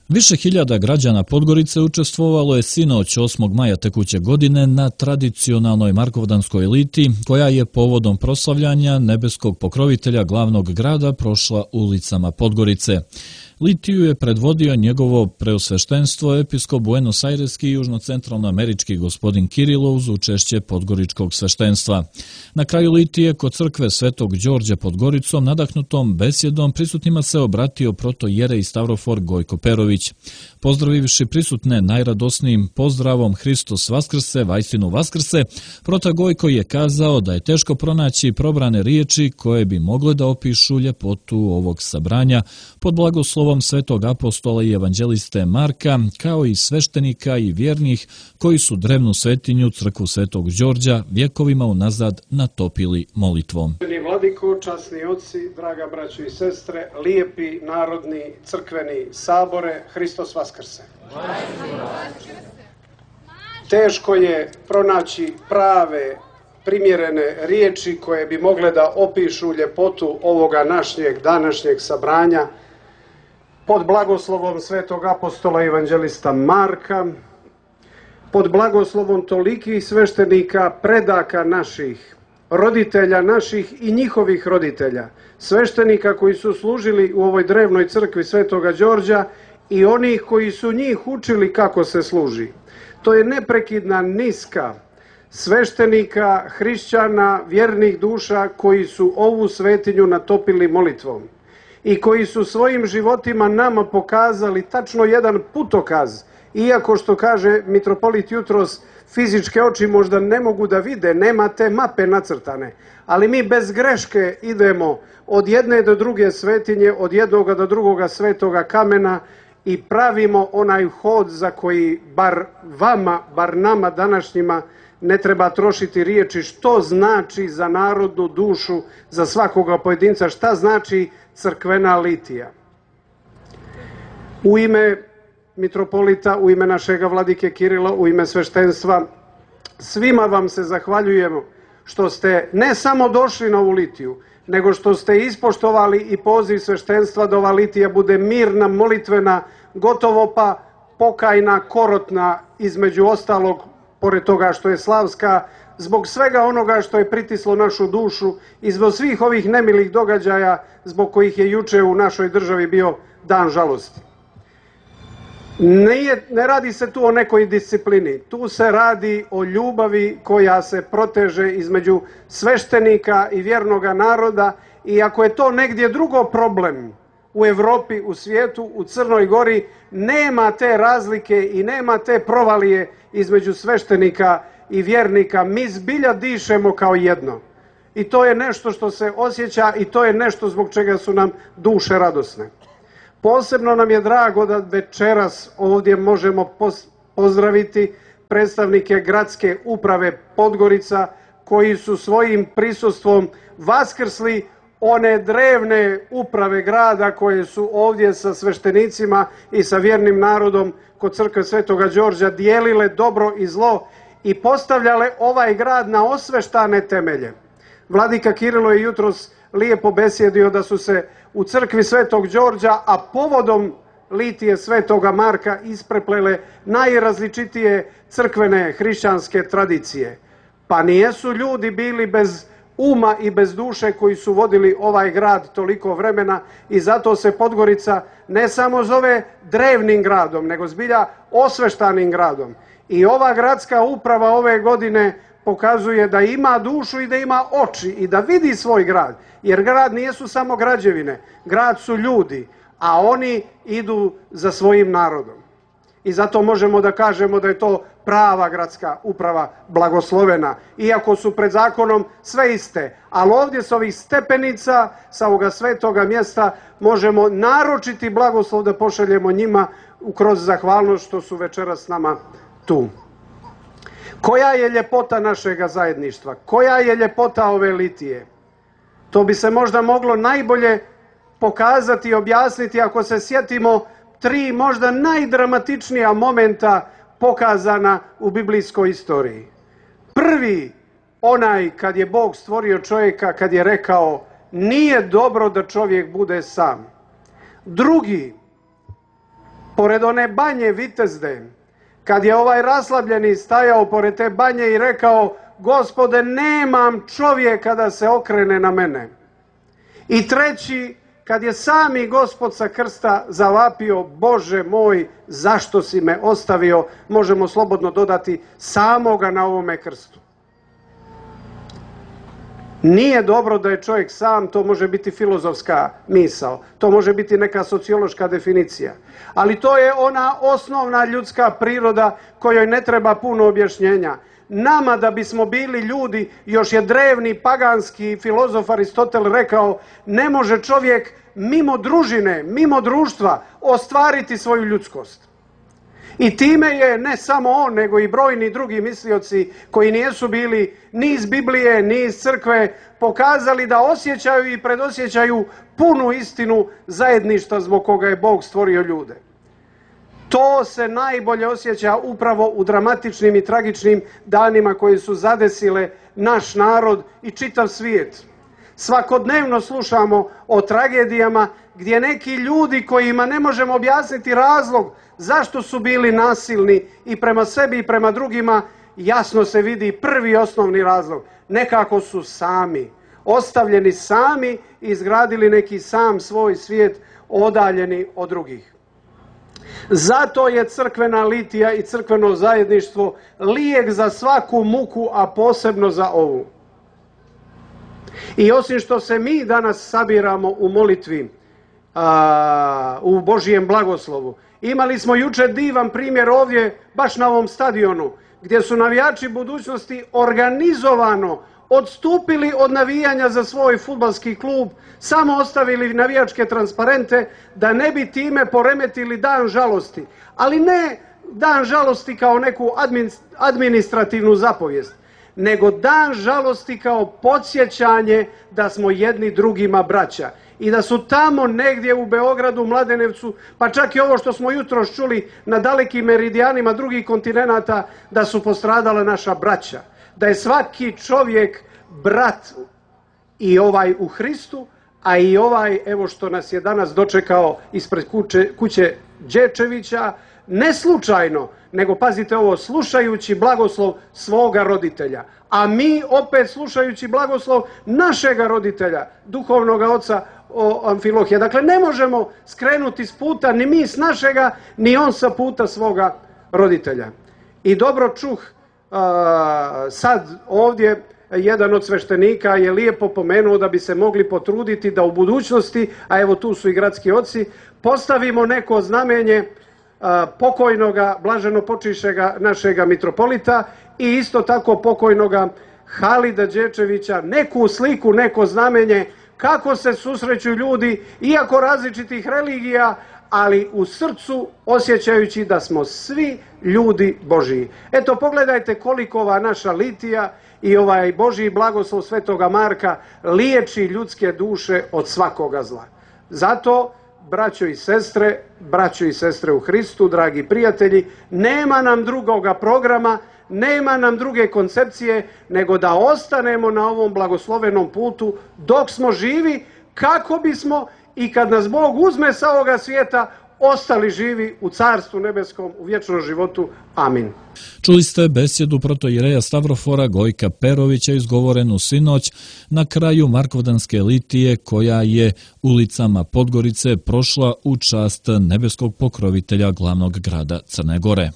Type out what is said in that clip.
Više hiljada građana Podgorice učestvovalo je sinoć 8. maja tekuće godine na tradicionalnoj Markovdanskoj litiji, koja je povodom proslavljanja nebeskog pokrovitelja glavnog grada prošla ulicama Podgorice. Litiju je predvodio njegovo preosveštenstvo episkop Buenos Aireski i južnocentralnoamerički gospodin Kirilo uz učešće podgoričkog sveštenstva. Na kraju litije kod crkve Svetog Đorđa pod Goricom nadahnutom besjedom prisutnima se obratio protojerej Stavrofor Gojko Perović. Pozdravivši prisutne najradosnijim pozdravom Hristos Vaskrse, Vajstinu Vaskrse, prota Gojko je kazao da je teško pronaći probrane riječi koje bi mogle da opišu ljepotu ovog sabranja pod blagoslovom svetog apostola i evanđeliste Marka, kao i sveštenika i vjernih koji su drevnu svetinju crkvu Svetog Đorđa vjekovima unazad natopili molitvom. Vladiko, časni oci, draga braćo i sestre, lijepi narodni crkveni sabore, Hristos Vaskrse. Teško je pronaći prave, primjerene riječi koje bi mogle da opišu ljepotu ovoga današnjeg sabranja pod blagoslovom svetog apostola i evanđelista Marka, pod blagoslovom tolikih sveštenika, predaka naših, roditelja naših i njihovih roditelja, sveštenika koji su služili u ovoj drevnoj crkvi Svetoga Đorđa i onih koji su njih učili kako se služi. To je neprekidna niska sveštenika, hrišćana, vjernih duša koji su ovu svetinju natopili molitvom i koji su svojim životima nama pokazali tačno jedan putokaz, iako što kaže mitropolit jutros, fizičke oči možda ne mogu da vide, nema te mape nacrtane, ali mi bez greške idemo od jedne do druge svetinje, od jednoga do drugoga svetoga kamena i pravimo onaj hod za koji bar vama, bar nama današnjima ne treba trošiti riječi što znači za narodnu dušu, za svakoga pojedinca, šta znači crkvena litija. U ime mitropolita, u ime našega vladike Kirila, u ime sveštenstva, svima vam se zahvaljujemo što ste ne samo došli na ovu litiju, nego što ste ispoštovali i poziv sveštenstva da ova litija bude mirna, molitvena, gotovo pa pokajna, korotna, između ostalog, pored toga što je slavska, zbog svega onoga što je pritislo našu dušu i zbog svih ovih nemilih događaja zbog kojih je juče u našoj državi bio dan žalosti. Ne radi se tu o nekoj disciplini, tu se radi o ljubavi koja se proteže između sveštenika i vjernoga naroda i ako je to negdje drugo problem u Evropi, u svijetu, u Crnoj Gori, nema te razlike i nema te provalije između sveštenika i vjernika. Mi zbilja dišemo kao jedno i to je nešto što se osjeća i to je nešto zbog čega su nam duše radosne. Posebno nam je drago da večeras ovdje možemo pozdraviti predstavnike gradske uprave Podgorica koji su svojim prisustvom vaskrsli one drevne uprave grada koje su ovdje sa sveštenicima i sa vjernim narodom kod crkve Svetoga Đorđa dijelile dobro i zlo i postavljale ovaj grad na osveštane temelje. Vladika Kirilo je jutros lijepo besjedio da su se u crkvi Svetog Đorđa, a povodom litije Svetoga Marka ispreplele najrazličitije crkvene hrišćanske tradicije. Pa nijesu ljudi bili bez uma i bez duše koji su vodili ovaj grad toliko vremena i zato se Podgorica ne samo zove drevnim gradom, nego zbilja osveštanim gradom. I ova gradska uprava ove godine pokazuje da ima dušu i da ima oči i da vidi svoj grad. Jer grad nijesu samo građevine, grad su ljudi, a oni idu za svojim narodom. I zato možemo da kažemo da je to prava gradska uprava blagoslovena, iako su pred zakonom sve iste. Ali ovdje s ovih stepenica, sa ovoga svetoga mjesta, možemo naročiti blagoslov da pošaljemo njima kroz zahvalnost što su večeras s nama tu. Koja je ljepota našega zajedništva? Koja je ljepota ove litije? To bi se možda moglo najbolje pokazati i objasniti ako se sjetimo tri možda najdramatičnija momenta pokazana u biblijskoj istoriji. Prvi, onaj kad je Bog stvorio čovjeka, kad je rekao nije dobro da čovjek bude sam. Drugi, po pored one banje Vitezde, kad je ovaj raslabljeni stajao pored te banje i rekao: Gospode, nemam čovjeka da se okrene na mene. I treći, kad je sami Gospod sa krsta zavapio: Bože moj, zašto si me ostavio, možemo slobodno dodati, samoga na ovome krstu. Nije dobro da je čovjek sam, to može biti filozofska misao, to može biti neka sociološka definicija, ali to je ona osnovna ljudska priroda kojoj ne treba puno objašnjenja. Nama da bismo bili ljudi, još je drevni paganski filozof Aristotel rekao, ne može čovjek mimo družine, mimo društva ostvariti svoju ljudskost. I time je ne samo on, nego i brojni drugi mislioci koji nisu bili ni iz Biblije, ni iz crkve, pokazali da osjećaju i predosjećaju punu istinu zajedništva zbog koga je Bog stvorio ljude. To se najbolje osjeća upravo u dramatičnim i tragičnim danima koji su zadesile naš narod i čitav svijet. Svakodnevno slušamo o tragedijama gdje neki ljudi kojima ne možemo objasniti razlog zašto su bili nasilni i prema sebi i prema drugima, jasno se vidi prvi osnovni razlog. Nekako su sami, ostavljeni sami i izgradili neki sam svoj svijet odaljeni od drugih. Zato je crkvena litija i crkveno zajedništvo lijek za svaku muku, a posebno za ovu. I osim što se mi danas sabiramo u molitvi, u Božijem blagoslovu, imali smo jučer divan primjer ovdje, baš na ovom stadionu, gdje su navijači budućnosti organizovano odstupili od navijanja za svoj fudbalski klub, samo ostavili navijačke transparente da ne bi time poremetili dan žalosti. Ali ne dan žalosti kao neku administrativnu zapovijest, nego dan žalosti kao podsjećanje da smo jedni drugima braća. I da su tamo negdje u Beogradu, Mladenevcu, pa čak i ovo što smo jutros čuli na dalekim meridijanima drugih kontinenata, da su postradala naša braća. Da je svaki čovjek brat, i ovaj u Hristu, a i ovaj, evo što nas je danas dočekao ispred kuće Đečevića, ne slučajno, nego pazite ovo, slušajući blagoslov svoga roditelja. A mi opet slušajući blagoslov našega roditelja, duhovnog oca Amfilohija. Dakle, ne možemo skrenuti s puta ni mi s našega, ni on sa puta svoga roditelja. I dobro čuh sad ovdje, jedan od sveštenika je lijepo pomenuo da bi se mogli potruditi da u budućnosti, a evo tu su i gradski oci, postavimo neko znamenje pokojnoga, blaženo počišćega našega mitropolita i isto tako pokojnoga Halida Đečevića, neku sliku, neko znamenje kako se susreću ljudi, iako različitih religija, ali u srcu osjećajući da smo svi ljudi Božiji. Eto, pogledajte koliko ova naša litija i ovaj Božji blagoslov Svetoga Marka liječi ljudske duše od svakoga zla. Zato, braćo i sestre u Hristu, dragi prijatelji, nema nam drugoga programa, nema nam druge koncepcije, nego da ostanemo na ovom blagoslovenom putu dok smo živi, kako bismo i kad nas Bog uzme sa ovoga svijeta, ostali živi u Carstvu nebeskom, u vječnom životu. Amin. Čuli ste besjedu protoijereja Stavrofora Gojka Perovića izgovorenu sinoć na kraju Markovdanske litije koja je ulicama Podgorice prošla u čast nebeskog pokrovitelja glavnog grada Crne Gore.